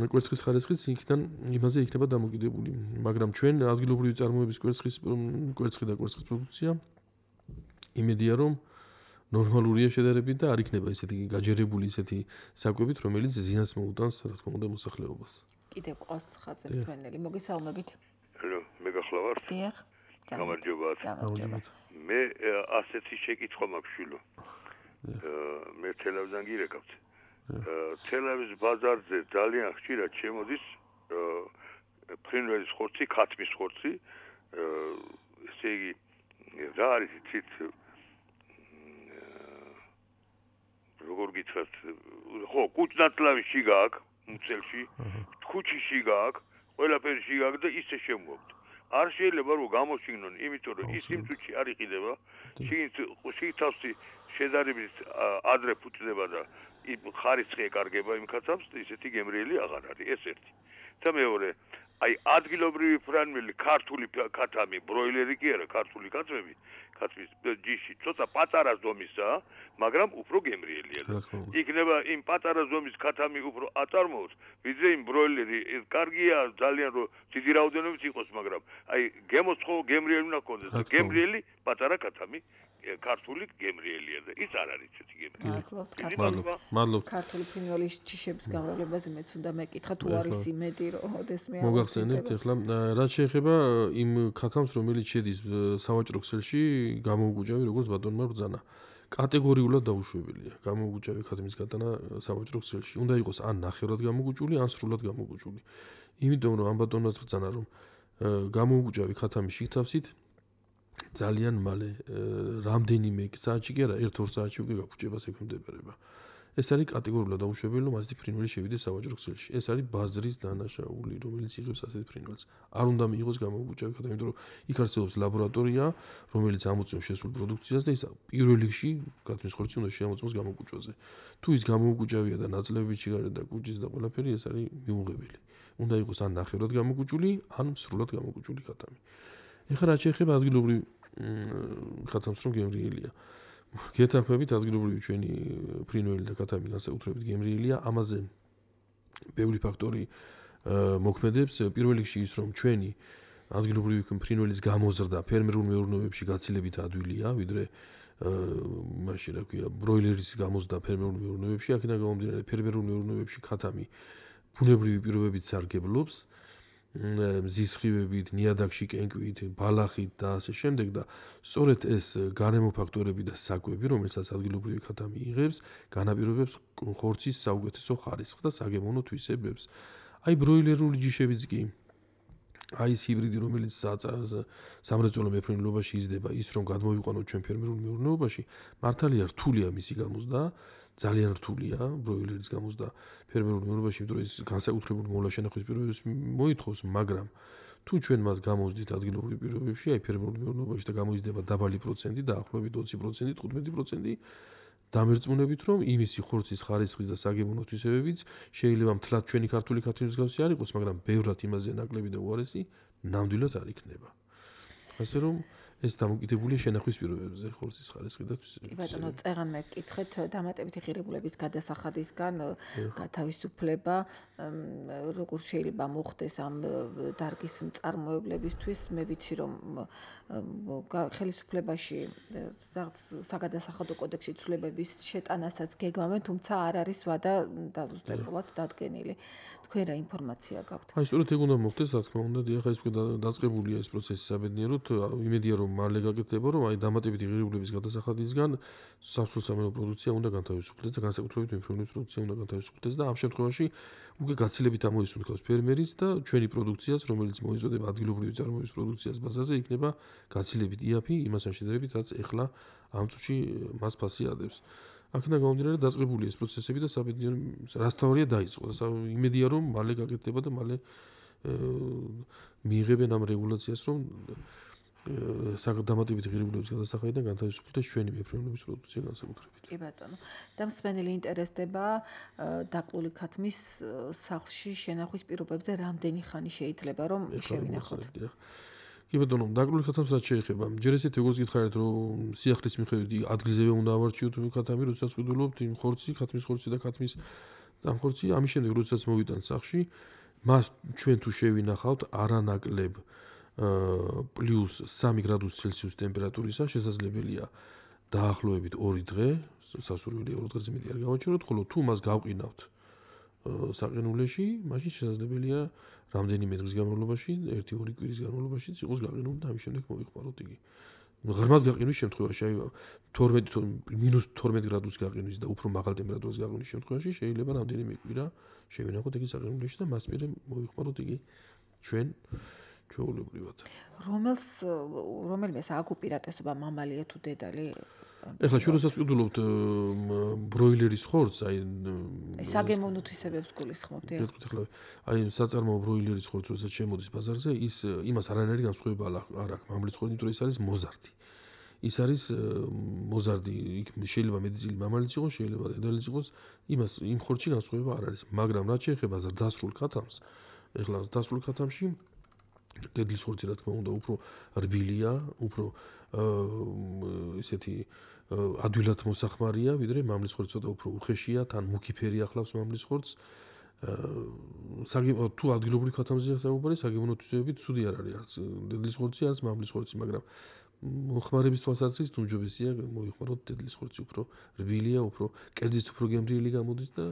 კვერცხის ხარისხიც იქიდან იმაზე იქნება დამოკიდებული. მაგრამ ჩვენ ადგილობრივი წარმოების კვერცხის კვერცხი და კვერცხის პროდუქცია იმედია რომ ნორმალურია შედარებით და არ იქნება ისეთი გაჯერებული ისეთი საკვებით, რომელიც ზიანს მოუტანს, რა თქმა უნდა, მოსახლეობას. კიდევ ყავს ხაზებს მსმენელი, მოგესალმებით. Hello, მე გახლავართ? დიახ. გამარჯობათ. გამარჯობა. მე ასეთი შეკითხვა მაქვს შვილო. მე თელავიზან გირეკავთ. თელავის ბაზარზე ძალიან ხშირად შემოდის ფრინველის ხორცი, ქათმის ხორცი. ესე იგი რა არის თვით როგორ გითხრათ, ხო, კუჭნათლავში გააქვს, მუცელში, თქუჩიში გააქვს, ყველაფერში გააქვს და ისე შემოაქვს. არ შეიძლება რომ გამოშიგნონ, იმიტომ რომ ის იმ წუთში არ იყიდება, შიგთავსი შედარებით ადრე ფუჭდება და ხარისხი ეკარგება იმ ქათამს, ისეთი გემრიელი აღარ არის, ეს ერთი. და მეორე, აი ადგილობრივი ფრინველი, ქართული ქათამი, ბროილერი კი არა, ქართული ქათმები, ქათმის ჯიში, ცოტა პატარა ზომისაა, მაგრამ უფრო გემრიელია. იქნება იმ პატარა ზომის ქათამი უფრო აწარმოოს, ვიდრე იმ ბროილერი, კარგია ძალიან რომ დიდი რაოდენობით იყოს, მაგრამ აი გემოცხო გემრიელი უნდა ქონდეს. გემრიელი პატარა ქათამი ქართული გემრიელია და ის არ არის ესეთი გემრიელი. მადლობა. მადლობა. ქართული ფრინველის ჯიშების გამრავლებაზე მეც უნდა მეკითხა თუ არის იმედი რომ ოდესმე მოგახსენებთ ახლა რაც შეეხება იმ ქათამს რომელიც შედის სავაჭრო ქსელში გამოუგუჭავი როგორც ბატონმა ბრძანა. კატეგორიულად დაუშვებელია გამოუგუჭავი ქათმის გატანა სავაჭრო ქსელში. უნდა იყოს ან ნახევრად გამოუგუჭული, ან სრულად გამოუგუჭული. იმიტომ რომ ამ ბატონმაც ბრძანა რომ გამოუგუჭავი ქათამის შიგთავსით ძალიან მალე რამდენიმე საათში კი არა ერთ-ორ საათში უკვე გაფუჭებას ექვემდებარება. ეს არის კატეგორიულად დაუშვებელი რომ ასეთი ფრინველი შევიდეს სავაჭრო ქსელში. ეს არის ბაზრის დანაშაული, რომელიც იღებს ასეთ ფრინველს. არ უნდა მიიღოს გამოუგუჭავი ქათამი, იმიტომ რომ იქ არსებობს ლაბორატორია, რომელიც ამოწმებს შესულ პროდუქციას და ის პირველ რიგში ქათმის ხორცი უნდა შეამოწმოს გამოუგუჭვაზე. თუ ის გამოუგუჭავია და ნაწლავები ჩიგარე და კუჭის და ყველაფერი, ეს არის მიუღებელი. უნდა იყოს ან ნახევრად გამოგუჭული, ან სრულად გამოგუჭული ქათამი. ეხლა რაც შეეხება ადგილობრივ ქათამს რომ გემრიელია. გეთანხმებით ადგილობრივი ჩვენი ფრინველი და ქათამი განსაკუთრებით გემრიელია, ამაზე ბევრი ფაქტორი მოქმედებს. პირველ რიგში ის რომ ჩვენი ადგილობრივი ფრინველის გამოზრდა ფერმერულ მეურნეობებში გაცილებით ადვილია, ვიდრე მაშინ რა ქვია, ბროილერის გამოზრდა ფერმერულ მეურნეობებში, აქედან გამომდინარე ფერმერულ მეურნეობებში ქათამი ბუნებრივი პირობებით სარგებლობს. მზის სხივებით, ნიადაგში კენკვით, ბალახით და ასე შემდეგ და სწორედ ეს გარემო ფაქტორები და საკვები, რომელსაც ადგილობრივი ქათამი იღებს, განაპირობებს ხორცის საუკეთესო ხარისხს და საგემოვნო თვისებებს. აი ბროილერული ჯიშებიც კი აი ეს ჰიბრიდი, რომელიც სამრეწველო მეფრინველობაში იზრდება, ის რომ გადმოვიყვანოთ ჩვენ ფერმერულ მეურნეობაში, მართალია რთულია მისი გამოზრდა, ძალიან რთულია ბროილერის გამოზრდა ფერმერულ მეურნეობაში, იმიტომ რომ ის განსაკუთრებული მოვლა შენახვის პირობებს მოითხოვს, მაგრამ თუ ჩვენ მას გამოვზდით ადგილობრივ პირობებში, აი ფერმერულ მეურნეობაში და გამოიზრდება დაბალი პროცენტი, დაახლოებით ოცი პროცენტი, თხუთმეტი პროცენტი, დამერწმუნებით რომ იმისი ხორცის ხარისხის და საგემოვნო თვისებებიც შეიძლება მთლად ჩვენი ქართული ქათმის მსგავსი არ იყოს, მაგრამ ბევრად იმაზე ნაკლები და უარესი ნამდვილად არ იქნება. ასე რომ ეს დამოკიდებულია შენახვის პირობებზე ხორცის ხარისხი და თვისებები. კი ბატონო, წეღან მეკითხეთ დამატებითი ღირებულების გადასახადისგან გათავისუფლება, როგორ შეიძლება მოხდეს ამ დარგის მწარმოებლებისთვის, მე ვიცი რომ ხელისუფლებაში რაღაც საგადასახადო კოდექსში ცვლილებების შეტანასაც გეგმავენ, თუმცა არ არის ვადა დაზუსტებულად დადგენილი. თქვენ რა ინფორმაცია გაქვთ? აი, სწორედ ეგ უნდა მოხდეს, რა თქმა უნდა, დიახ, ეს უკვე დაწყებულია ეს პროცესი საბედნიეროდ, იმედია რომ მალე გაკეთდება, რომ აი დამატებითი ღირებულების გადასახადისგან სასულსამეო პროდუქცია უნდა განთავისუფლდეს და განსაკუთრებით მეფრინველის პროდუქცია უნდა განთავისუფლდეს და ამ შემთხვევაში უკვე გაცილებით ამოისუნთქავს ფერმერიც და ჩვენი პროდუქციას, რომელიც მოიწოდება ადგილობრივი წარმოების პროდუქციას ბაზარზე, იქნება გაცილებით იაფი იმასთან შედარებით, რაც ეხლა ამ წუთში მას ფასი ადევს. აქედან გამომდინარე დაწყებულია ეს პროცესები და საბედნიერო რასთავარია დაიწყო. იმედია რომ მალე გაკეთდება და მალე მიიღებენ ამ რეგულაციას, რომ დამატებითი ღირებულების გადასახადიდან განთავისუფლდეს ჩვენი მეფრინველების პროდუქცია განსაკუთრებით. კი ბატონო. და მსმენელი ინტერესდება დაკლული ქათმის სახლში შენახვის პირობებზე რამდენი ხანი შეიძლება რომ შევინახოთ? კი ბატონო, დაკლული ქათამს რაც შეეხება, ჯერ ესეთ როგორც გითხარით, რომ სიახლის მიხედვით ადგილზევე უნდა ავარჩიოთ ქათამი, როდესაც ვიდულობთ იმ ხორცი, ქათმის ხორცი და ქათმის დამხორცი, ამის შემდეგ როდესაც მოვიტანთ სახლში, მას ჩვენ თუ შევინახავთ არანაკლებ პლუს სამი გრადუს ცელსიუს ტემპერატურისა, შესაძლებელია დაახლოებით ორი დღე, სასურველია ორი დღეზე მეტი არ გავაჩეროთ, ხოლო თუ მას გავყინავთ საყინულეში, მაშინ შესაძლებელია რამდენიმე დღის განმავლობაში, ერთი-ორი კვირის განმავლობაში იყოს გაყინული და ამის შემდეგ მოიხმაროთ იგი. ღრმად გაყინვის შემთხვევაში, აი თორმეტი მინუს თორმეტ გრადუს გაყინვის და უფრო მაღალ ტემპერატურას გაყინვის შემთხვევაში შეიძლება რამდენიმე კვირა შევინახოთ იგი საყინულეში და მას მერე მოიხმაროთ იგი ჩვენ ჩვეულებრივად. რომელს რომელმეს აქვს უპირატესობა, მამალია თუ დედალი? ეხლა ჩვენ როდესაც ვკითხულობთ ბროილერის ხორცს, აი საგემოვნო თვისებებს გულისხმობთ. ეხლა აი საწარმოო ბროილერის ხორცს როდესაც შემოდის ბაზარზე, ის იმას არანაირი განსხვავება არ აქვს მამლის ხორცის, იმიტომ რომ ის არის მოზარდი. ის არის მოზარდი, იქ შეიძლება მეტი მამალიც იყოს, შეიძლება დედალიც იყოს, იმას იმ ხორცში განსხვავება არ არის, მაგრამ რაც შეეხება ზრდასრულ ქათამს, ეხლა ზრდასრულ ქათამში დედლის ხორცი რა თქმა უნდა უფრო რბილია, უფრო ესეთი ადვილად მოსახმარია, ვიდრე მამლის ხორცი ცოტა უფრო უხეშია, თან მუქი ფერი ახლავს მამლის ხორცს. საგემოვნო თუ ადგილობრივი ქათამზეა საუბარი, საგემოვნო თვისებებით ცუდი არ არის არც დედლის ხორცი, არც მამლის ხორცი, მაგრამ მოხმარების თვალსაზრისით უმჯობესია მოიხმაროთ დედლის ხორცი, უფრო რბილია, უფრო კერძიც უფრო გემრიელი გამოდის და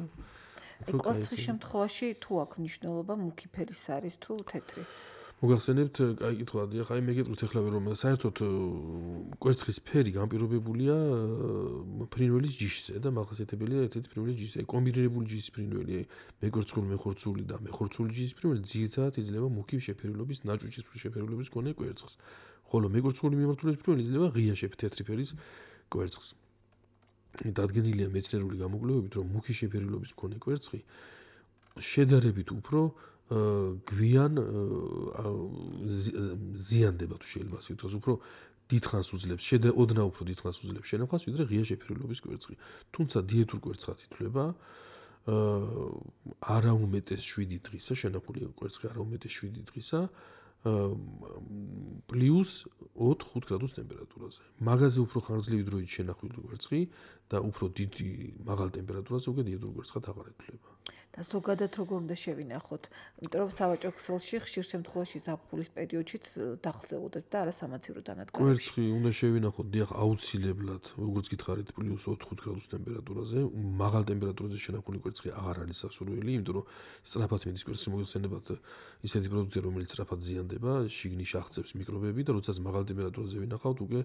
კვერცხის შემთხვევაში თუ აქვს მნიშვნელობა მუქი ფერის არის თუ თეთრი? მოგახსენებთ, კაი კითხვა, დიახ, აი მე გეტყვით ეხლა რომ საერთოდ კვერცხის ფერი განპირობებულია ფრინველის ჯიშზე და მახასიათებელია ერთ-ერთი ფრინველის ჯიშზე. აი კომბინირებული ჯიშის ფრინველი, აი მეკვერცხული, მეხორცული და მეხორცული ჯიშის ფრინველი ძირითადად იძლევა მუქი შეფერილობის, ნაჭუჭის შეფერილობის მქონე კვერცხს. ხოლო მეკვერცხული მიმართულების ფრინველი იძლევა ღია თეთრი ფერის კვერცხს. დადგენილია მეცნიერული გამოკვლევებით, რომ მუქი შეფერილობის მქონე კვერცხი შედარებით უფრო გვიან ზიანდება თუ შეიძლება ასე ვთქვათ, უფრო დიდხანს უძლებს, შედა ოდნავ უფრო დიდხანს უძლებს შენახავს, ვიდრე ღია შეფერილობის კვერცხი. თუმცა დიეტურ კვერცხად ითვლება არაუმეტეს შვიდი დღისა, შენახული კვერცხი არაუმეტეს შვიდი დღისა პლუს ოთხ-ხუთ გრადუს ტემპერატურაზე. მაგაზე უფრო ხანგრძლივი დროით შენახული კვერცხი და უფრო დიდი მაღალ ტემპერატურაზე უკვე დიეტურ კვერცხად აღარ ითვლება. და ზოგადად როგორ უნდა შევინახოთ? იმიტომ რომ სავაჭრო ქსელში ხშირ შემთხვევაში ზაფხულის პერიოდშიც დახზეუდებთ და არასამაცივრო დანადგარებში. კვერცხი უნდა შევინახოთ, დიახ, აუცილებლად, როგორც გითხარით, პლუს ოთხ-ხუთ გრადუს ტემპერატურაზე. მაღალ ტემპერატურაზე შენახული კვერცხი აღარ არის სასურველი, იმიტომ რომ სწრაფად მიდის კვერცხი მოგეხსენებათ ისეთი პროდუქტი, რომელიც სწრაფად ზიანდება, შიგნით აღწევს მიკრობები და როდესაც მაღალ ტემპერატურაზე ვინახავთ, უკვე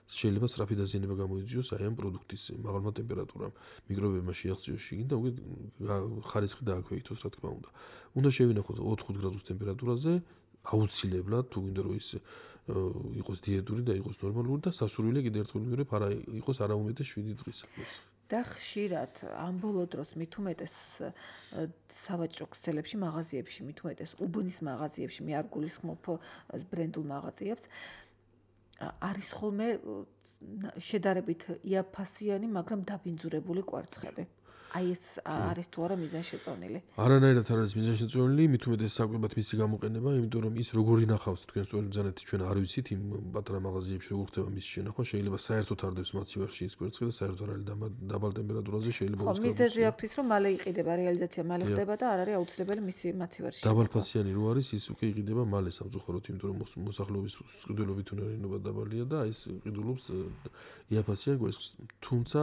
შეიძლება სწრაფი დაზიანება გამოიწვიოს აი ამ პროდუქტის მაღალმა ტემპერატურამ. მიკრობებმა შეაღწიოს შიგნით და უკვე ხარისხი დააქვეითოს, რა თქმა უნდა. უნდა შევინახოთ ოთხ-ხუთ გრადუს ტემპერატურაზე, აუცილებლად, თუ გინდა რომ ის იყოს დიეტური და იყოს ნორმალური და სასურველი კიდევ ერთხელ ვიმეორებ, არა იყოს არაუმეტეს შვიდი დღის. და ხშირად ამ ბოლო დროს მით უმეტეს სავაჭრო ქსელებში, მაღაზიებში, მით უმეტეს უბნის მაღაზიებში, მე არ გულისხმობ ბრენდულ მაღაზიებს, არის ხოლმე შედარებით იაფასიანი, მაგრამ დაბინძურებული კვერცხები. აი ეს არის თუ არა მიზანშეწონილი? არანაირად არ არის მიზანშეწონილი, მით უმეტეს საკვებად მისი გამოყენება, იმიტომ რომ ის როგორი ნახავს თქვენ სწორედ ბრძანეთ ჩვენ არ ვიცით იმ პატარა მაღაზიებში როგორ ხდება მისი შენახვა, შეიძლება საერთოდ არ დებს მაცივარში ის კვერცხი და საერთოდ არ არის დაბალ ტემპერატურაზე შეიძლება ხო, მიზეზი აქვს ის რომ მალე იყიდება, რეალიზაცია მალე ხდება და არ არის აუცილებელი მისი მაცივარში. დაბალფასიანი რო არის, ის უკვე იყიდება მალე სამწუხაროდ, იმიტომ რომ მოსახლეობის სყიდულობით უნარიანობა დაბალია და ის ყიდულობს იაფასიან კვერცხს. თუმცა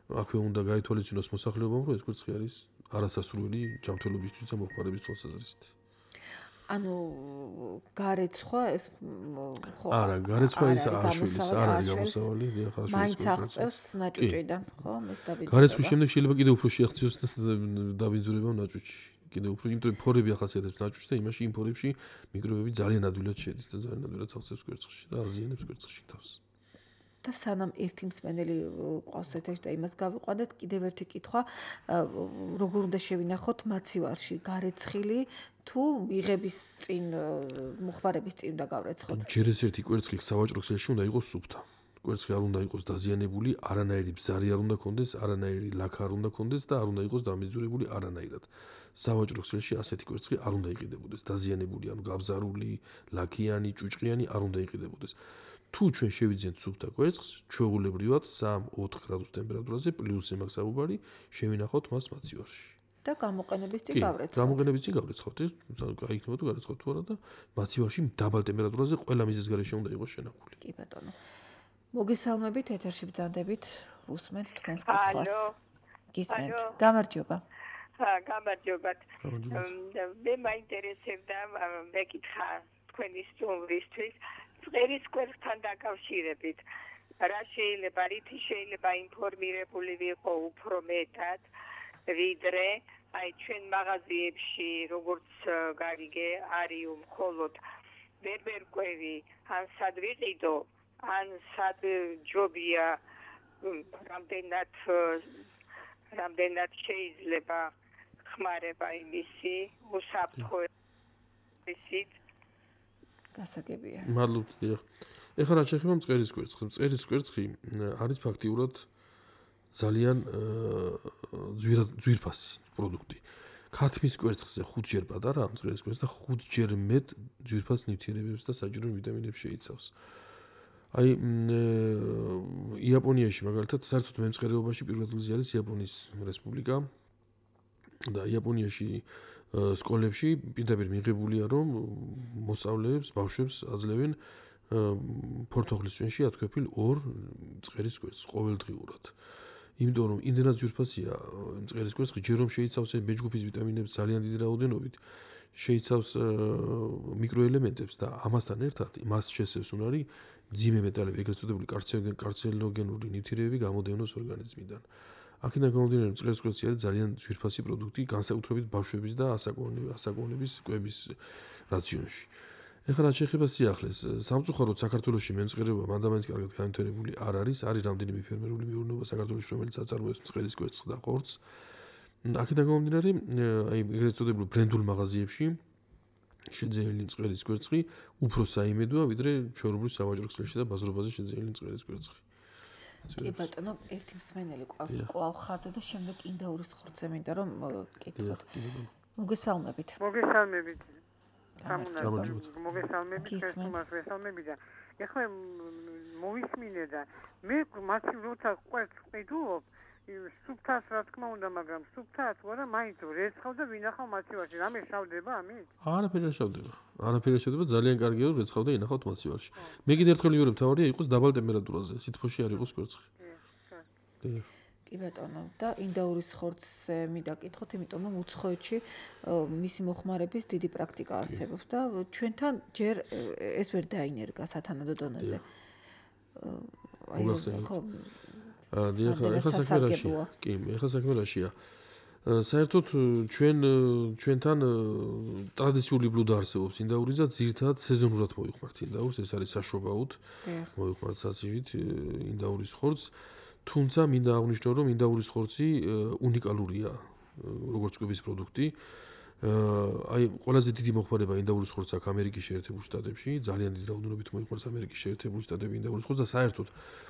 აქვე უნდა გაითვალისწინოს მოსახლეობამ, რომ ეს კვერცხი არის არასასურველი ჯანმრთელობისთვის და მოხმარების თვალსაზრისით. ანუ გარეცხვა ეს ხო არა, გარეცხვა ის არ შვილის, არ არის გამოსავალი, დიახ, არ შვილის. მაინც აღწევს ნაჭუჭიდან, ხო? ეს დაბინძურება. გარეცხვის შემდეგ შეიძლება კიდევ უფრო შეაღწიოს დაბინძურება ნაჭუჭში. კიდევ უფრო, იმიტომ რომ ფორები ახასიათებს ნაჭუჭს და იმაში იმ ფორებში მიკრობები ძალიან ადვილად შედის და ძალიან ადვილად ახსენებს კვერცხში და აზიანებს კვერცხში თავს. და სანამ ერთი მსმენელი ყავს ეთერში და იმას გავიყვანეთ, კიდევ ერთი კითხვა, როგორ უნდა შევინახოთ მაცივარში გარეცხილი თუ მიღების წინ, მოხმარების წინ უნდა გავრეცხოთ? ჯერ ეს ერთი კვერცხი სავაჭრო ქსელში უნდა იყოს სუფთა. კვერცხი არ უნდა იყოს დაზიანებული, არანაირი ბზარი არ უნდა ქონდეს, არანაირი ლაქა არ უნდა ქონდეს და არ უნდა იყოს დამიძურებული არანაირად. სავაჭრო ქსელში ასეთი კვერცხი არ უნდა იყიდებოდეს, დაზიანებული, ანუ გაბზარული, ლაქიანი, ჭუჭყიანი არ უნდა იყიდებოდეს. თუ ჩვენ შევიძინეთ სუფთა კვერცხს, ჩვეულებრივად სამ-ოთხ გრადუს ტემპერატურაზე პლუს იმას საუბარი, შევინახოთ მას მაცივარში. და გამოყენების წინ გავრეცხოთ. გამოყენების წინ გავრეცხოთ, ეს გაიქნება თუ გარეცხოთ თუ არა და მაცივარში დაბალ ტემპერატურაზე ყველა მიზეზ გარეშე უნდა იყოს შენახული. კი ბატონო. მოგესალმებით, ეთერში ბრძანდებით, უსმენთ თქვენს კითხვას. გისმენთ. გამარჯობა. გამარჯობათ. მე მაინტერესებდა მეკითხა თქვენი სტუმრისთვის წერის კვერცხთან დაკავშირებით. რა შეიძლება, რითი შეიძლება ინფორმირებული ვიყო უფრო მეტად, ვიდრე აი ჩვენ მაღაზიებში, როგორც გარიგე არის მხოლოდ ბერბერკვევი, ან სად ვიყიდო, ან სად ჯობია, რამდენად რამდენად შეიძლება ხმარება იმისი უსაფრთხოებისით. გასაგებია. მადლობთ, დიახ. ეხლა რა შეეხება მწერის კვერცხს? მწერის კვერცხი არის ფაქტიურად ძალიან ძვირფასი პროდუქტი. ქათმის კვერცხზე ხუთჯერ პატარაა მწერის კვერცხი და ხუთჯერ მეტ ძვირფას ნივთიერებებს და საჭირო ვიტამინებს შეიცავს. აი იაპონიაში მაგალითად საერთოდ მემწყარეობაში პირველ ადგილზე არის იაპონიის რესპუბლიკა და იაპონიაში სკოლებში პირდაპირ მიღებულია რომ მოსწავლეებს, ბავშვებს აძლევენ ფორთოხლის წვენში ათქვეფილ ორ წყერის კვერცხს ყოველდღიურად. იმიტომ რომ იმდენად ძვირფასია წყერის კვერცხი, ჯერ რომ შეიცავს ბეჯგუფის ვიტამინებს ძალიან დიდი რაოდენობით, შეიცავს მიკროელემენტებს და ამასთან ერთად მას შესევს უნარი ძიმე მეტალები, ეგრეთ წოდებული კარცინოგენური ნივთიერებები გამოდევნოს ორგანიზმიდან. აქედან გამომდინარე, რომ წყერის კვერცხი არის ძალიან ძვირფასი პროდუქტი, განსაკუთრებით ბავშვების და ასაკოვანების კვების რაციონში. ეხლა რაც შეეხება სიახლეს, სამწუხაროდ საქართველოში მემწყირება მანდამაინც კარგად განვითარებული არ არის, არის რამდენიმე ფერმერული მეურნეობა საქართველოში, რომელიც აწარმოებს წყერის კვერცხს და ხორცს. აქედან გამომდინარე, აი ეგრეთ წოდებულ ბრენდულ მაღაზიებში შეძენილი წყერის კვერცხი უფრო საიმედოა, ვიდრე ჩვეულებრივ სავაჭრო ქსელში და ბაზრობაზე შეძენილი წყერის კვერცხი. კი ბატონო, ერთი მსმენელი ყავს კვლავ ხაზზე და შემდეგ ინდაურის ხორცზე მინდა რომ კითხოთ. მოგესალმებით. მოგესალმებით. მოგესალმებით, ხესუმას ვესალმები და ეხლა მოვისმინე და მე მათი როცა ყვერცხს ყიდულობ, სუფთას რა თქმა უნდა, მაგრამ სუფთას ვარა, მაინც რეცხავ და ვინახავ მაცივარში. რამე შავდება ამით? არაფერი არ შავდება. არაფერი არ შავდება, ძალიან კარგია რომ რეცხავ და ინახავთ მაცივარში. მე კიდე ერთხელ ვიურებ, თავარია იყოს დაბალ ტემპერატურაზე, სითბოში არ იყოს კვერცხი. კი. კი ბატონო, და ინდაურის ხორცზე მინდა კითხოთ, იმიტომ რომ უცხოეთში მისი მოხმარების დიდი პრაქტიკა არსებობს და ჩვენთან ჯერ ეს ვერ დაინერგა სათანადო დონეზე. აი ხო დიახ, ეხლა საქმე რაშია? კი, ეხლა საქმე რაშია? საერთოდ ჩვენ ჩვენთან ტრადიციული ბლუდა არსებობს ინდაურის და ძირითადად სეზონურად მოიხმართ ინდაურს, ეს არის საშობაოდ. მოიხმართ საცივით ინდაურის ხორცს. თუმცა მინდა აღვნიშნო, რომ ინდაურის ხორცი უნიკალურია, როგორც კვების პროდუქტი. აი, ყველაზე დიდი მოხმარება ინდაურის ხორცს აქვს ამერიკის შეერთებულ შტატებში, ძალიან დიდი რაოდენობით მოიხმარს ამერიკის შეერთებული შტატები ინდაურის ხორცს და საერთოდ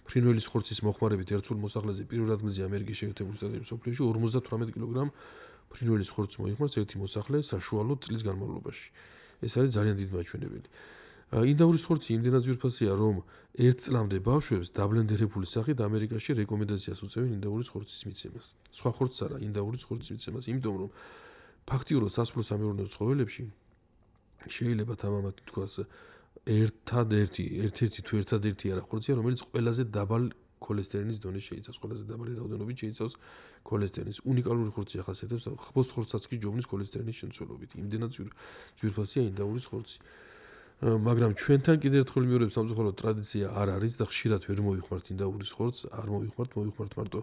ფრინველის ხორცის მოხმარებით ერთსულ მოსახლეზე პირველ ადგილზე ამერიკის შეერთებული შტატების სოფლიოში ორმოცდათვრამეტ კილოგრამ ფრინველის ხორცს მოიხმარს ერთი მოსახლე საშუალო წლის განმავლობაში. ეს არის ძალიან დიდი მაჩვენებელი. ინდაურის ხორცი იმდენად ძვირფასია, რომ ერთ წლამდე ბავშვებს დაბლენდერებული სახით ამერიკაში რეკომენდაციას უწევენ ინდაურის ხორცის მიცემას. სხვა ხორცს არა, ინდაურის ხორცის მიცემას, იმიტომ რომ ფაქტიურად სასოფლო-სამეურნეო ცხოველებში შეიძლება თამამად თქვას ერთადერთი, ერთ-ერთი თუ ერთადერთი არა ხორცია, რომელიც ყველაზე დაბალ ქოლესტერინის დონეს შეიცავს, ყველაზე დაბალი რაოდენობით შეიცავს ქოლესტერინის. უნიკალური ხორცი ახასიათებს ხბოს ხორცსაც კი ჯობნის ქოლესტერინის შემცველობით. იმდენად ძვირფასია ინდაურის ხორცი. მაგრამ ჩვენთან კიდევ ერთხელ ვიმეორებ, სამწუხაროდ ტრადიცია არ არის და ხშირად ვერ მოიხმართ ინდაურის ხორცს, არ მოიხმართ, მოიხმართ მარტო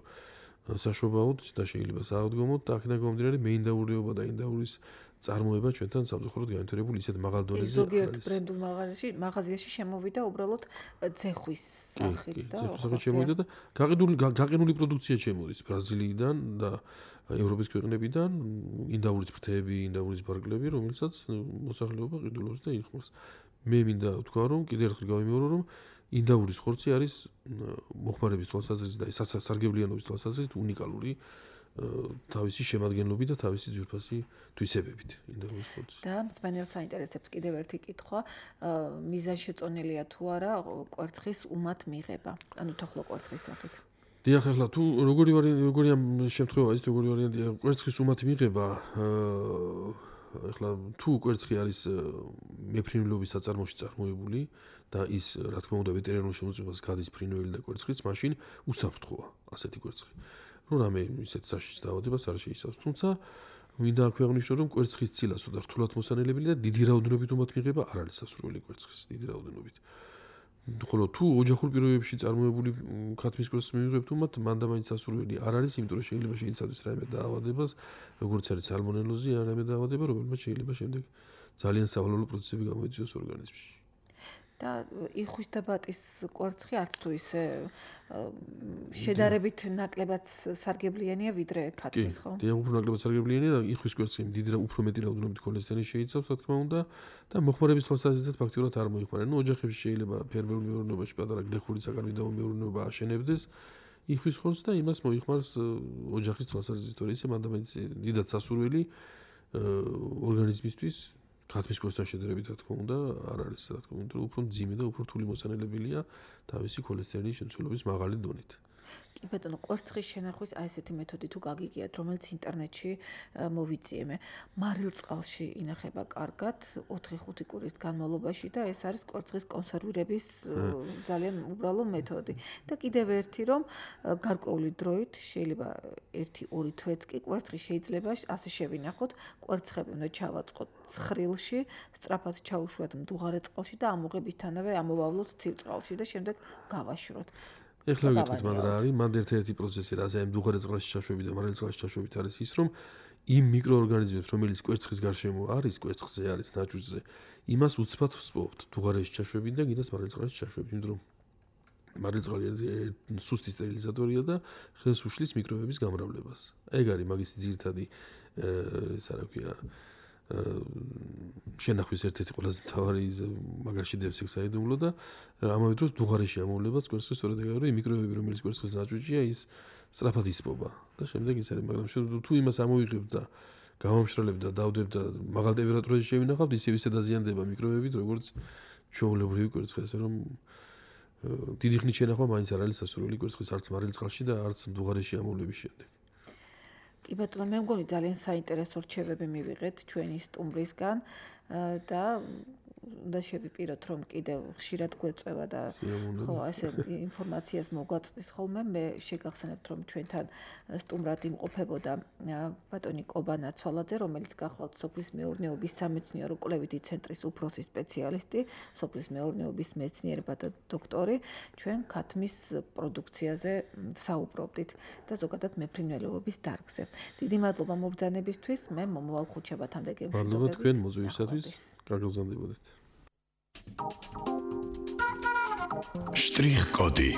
საშობაოდ და შეიძლება საავდგომოდ და აქედან გამომდინარე მეინდაურიობა და ინდაურის წარმოება ჩვენთან სამწუხაროდ განვითარებული ისეთ მაღალ დონეზე არის. ზოგიერთ ბრენდულ მაღაზიაში, მაღაზიაში შემოვიდა უბრალოდ ძეხვის სახით და ძეხვის შემოვიდა და გაყიდული გაყინული პროდუქცია შემოდის ბრაზილიიდან და ევროპის ქვეყნებიდან, ინდაურის ფრთები, ინდაურის ბარგლები, რომელსაც მოსახლეობა ყიდულობს და იხმარს. მე მინდა ვთქვა, რომ კიდევ ერთხელ გავიმეორო, რომ ინდაურის ხორცი არის მოხმარების თვალსაზრისით და სარგებლიანობის თვალსაზრისით უნიკალური თავისი შემადგენლობით და თავისი ძვირფასი თვისებებით ინდაურის ხორცი. და მსმენელს აინტერესებს კიდევ ერთი კითხვა, მიზანშეწონილია თუ არა კვერცხის უმად მიღება, ანუ თოხლო კვერცხის სახით. დიახ, ახლა თუ როგორი როგორი ამ შემთხვევა ის როგორი ვარიანტია კვერცხის უმად მიღება, ახლა თუ კვერცხი არის მეფრინველობის საწარმოში წარმოებული და ის რა თქმა უნდა ვეტერინარულ შემოწმებას გადის ფრინველი და კვერცხიც, მაშინ უსაფრთხოა ასეთი კვერცხი. რომ რამე ისეთ საშიშ დაავადებას არ შეიცავს. თუმცა მინდა აქვე აღვნიშნო, რომ კვერცხის ცილას და რთულად მოსანელებელი და დიდი რაოდენობით უმად მიღება არ არის სასურველი კვერცხის დიდი რაოდენობით. ხოლო თუ ოჯახურ პირობებში წარმოებული ქათმის კვერცხს მივიღებთ უმად, მანდა მაინც სასურველი არ არის, იმიტომ რომ შეიძლება შეიცავდეს რაიმე დაავადებას, როგორც არის სალმონელოზი, ან რაიმე დაავადება, რომელმაც შეიძლება შემდეგ ძალიან სავალალო პროცესები გამოიწვიოს ორგანიზმში. და იხვის და ბატის კვერცხი არც თუ ისე შედარებით ნაკლებად სარგებლიანია ვიდრე ქათმის, ხო? დიახ, უფრო ნაკლებად სარგებლიანია და იხვის კვერცხი დიდი და უფრო მეტი რაოდენობით ქოლესტერინის შეიცავს, რა თქმა უნდა, და მოხმარების თვალსაზრისით ფაქტიურად არ მოიხმარენ. ნუ ოჯახებში შეიძლება ფერმერულ მეურნეობაში პატარა გლეხური საკარბიდაო მეურნეობა აშენებდეს იხვის ხორცს და იმას მოიხმარს ოჯახის თვალსაზრისით, თორე ისე მანდამაინც დიდად სასურველი ორგანიზმისთვის ქათმის კვერცხთან შედარებით, რა თქმა უნდა, არ არის, რა თქმა უნდა, უფრო მძიმე და უფრო რთული მოსანელებელია თავისი ქოლესტერინის შემცველობის მაღალი დონით. კი ბატონო, კვერცხის შენახვის აი ესეთი მეთოდი თუ გაგიგიათ, რომელიც ინტერნეტში მოვიწიე მე. მარილწყალში ინახება კარგად ოთხი ხუთი კვირის განმავლობაში და ეს არის კვერცხის კონსერვირების ძალიან უბრალო მეთოდი. და კიდევ ერთი რომ გარკვეული დროით შეიძლება ერთი ორი თვეც კი კვერცხი შეიძლება ასე შევინახოთ, კვერცხები უნდა ჩავაწყოთ ცხრილში, სწრაფად ჩაუშვათ მდუღარე წყალში და ამოღებისთანავე ამოვავლოთ ცივ წყალში და შემდეგ გავაშროთ. ეხლა ვიგეთქვით მან რა არის, მან ერთ-ერთი პროცესი რა, აი მდუღარე წყალში ჩაშვები და მარილ წყალში ჩაშვებით არის ის, რომ იმ მიკროორგანიზმებს, რომელიც კვერცხის გარშემო არის, კვერცხზე არის, ნაჭუჭზე, იმას უცბად ვსპობთ, მდუღარეში ჩაშვებით და კიდეც მარილ წყალში ჩაშვებით, იმიტომ რომ მარილ წყალი სუსტი სტერილიზატორია და ხელს უშლის მიკრობების გამრავლებას. ეგ არის მაგისი ძირითადი ეს რა ქვია შენახვის ერთ-ერთი ყველაზე მთავარი მაგაში დევს ეგ საიდუმლო და ამავე დროს დუღარეში ამოვლებაც კვერცხის სწორედ ეგ არის მიკრობები რომელიც კვერცხის ნაჭუჭია ის სწრაფად ისპობა და შემდეგ ის არის მაგრამ თუ იმას ამოიღებ და გამომშრალებ და დავდებ და მაღალ ტემპერატურაში შევინახავთ ისევ ისე დაზიანდება მიკრობებით როგორც ჩვეულებრივი კვერცხი ასე რომ დიდი ხნით შენახვა მაინც არ არის სასურველი კვერცხის არც მარილ წყალში და არც დუღარეში ამოვლების შემდეგ. კი ბატონო, მე მგონი ძალიან საინტერესო რჩევები მივიღეთ ჩვენი სტუმრისგან და უნდა შევიპიროთ რომ კიდევ ხშირად გვეწევა და ხო ასე ინფორმაციას მოგვაწვის ხოლმე მე შეგახსენებთ რომ ჩვენთან სტუმრად იმყოფებოდა ბატონი კობა ნაცვალაძე რომელიც გახლავთ სოფლის მეურნეობის სამეცნიერო კვლევითი ცენტრის უფროსი სპეციალისტი სოფლის მეურნეობის მეცნიერება და დოქტორი ჩვენ ქათმის პროდუქციაზე საუბრობდით და ზოგადად მეფრინველეობის დარგზე დიდი მადლობა მობრძანებისთვის მე მომავალ ხუთშაბათამდე გემშვიდობებით მადლობა თქვენ მოძვირისათვის გაგრძელდებოდეთ. Штрих-коды.